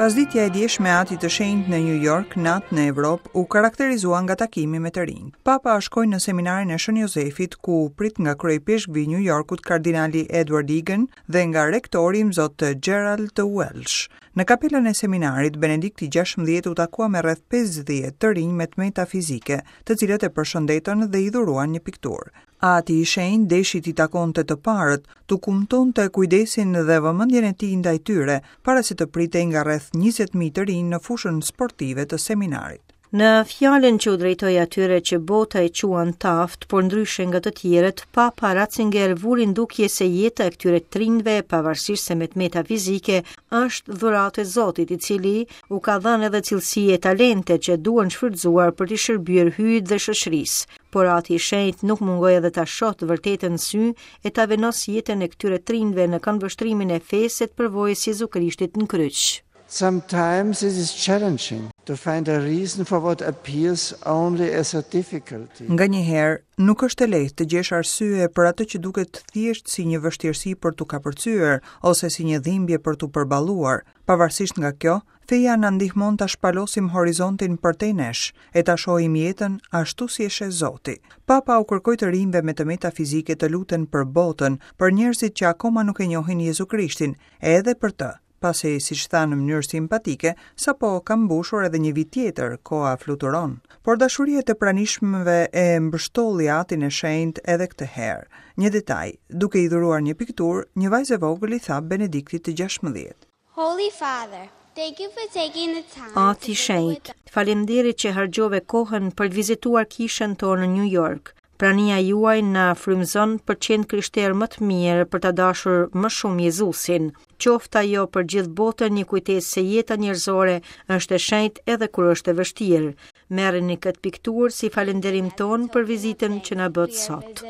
Pasditja e djeshme e Atit të Shenjtë në New York, natë në Evropë, u karakterizua nga takimi me të rinj. Papa shkoi në seminarin e Shën Jozefit, ku u prit nga kryeipeshkvi i New Yorkut kardinali Edward Egan dhe nga rektori Imzot Gerald Welsh. Në kapelën e seminarit, Benedikti 16 u takua me rreth 50 të rinj me të meta fizike, të cilët e përshëndetën dhe i dhuruan një pikturë. Ati i Shenjtë deshi t'i takonte të parët, t'u kumtonte kujdesin dhe vëmendjen e tij ndaj tyre, para se të pritej nga rreth 20.000 të rinj në fushën sportive të seminarit. Në fjalën që u drejtoi atyre që bota i quan të aftë, por ndryshe nga të tjerët, Papa Ratzinger vuri në dukje se jeta e këtyre të rinjve, pavarësisht se me të meta fizike, është dhuratë e Zotit, i cili u ka dhënë edhe cilësi e talente që duhen shfrytëzuar për t'i shërbyer Hyjit dhe shoqërisë. Por Ati i Shenjtë nuk mungoi edhe ta shohë të vërtetën në sy e ta vendosë jetën e këtyre të rinjve në këndvështrimin e fesë e të përvojës së Jezu Krishtit në kryq. Sometimes it is challenging to find a reason for what appears only as a difficulty. Nganjëherë, nuk është e lehtë të gjesh arsye për atë që duket thjesht si një vështirësi për t'u kapërcyer ose si një dhimbje për t'u përballuar. Pavarësisht nga kjo, feja na ndihmon ta shpalosim horizontin përtej nesh e ta shohim jetën ashtu si e sheh Zoti. Papa u kërkoi të rinjve me të meta fizike të luten për botën, për njerëzit që akoma nuk e njohin Jezu Krishtin, e edhe për të pasi, siç tha në mënyrë simpatike, sapo ka mbushur edhe një vit tjetër, koha fluturon. Por dashuria e të pranishmëve e mbështolli Atin e Shenjtë edhe këtë herë. Një detaj, duke i dhuruar një pikturë, një vajzë e vogël i tha Benediktit të 16. Holy Father, thank you for taking the time. Ati i Shenjtë, faleminderit që harxhove kohën për të vizituar kishën tonë në New York. Prania juaj na frymëzon për të qenë krishterë më të mirë, për ta dashur më shumë Jezusin. Qoftë ajo për gjithë botën një kujtesë se jeta njerëzore është e shenjtë edhe kur është e vështirë. Merreni këtë pikturë si falënderim tonë për vizitën që na bëtë sot.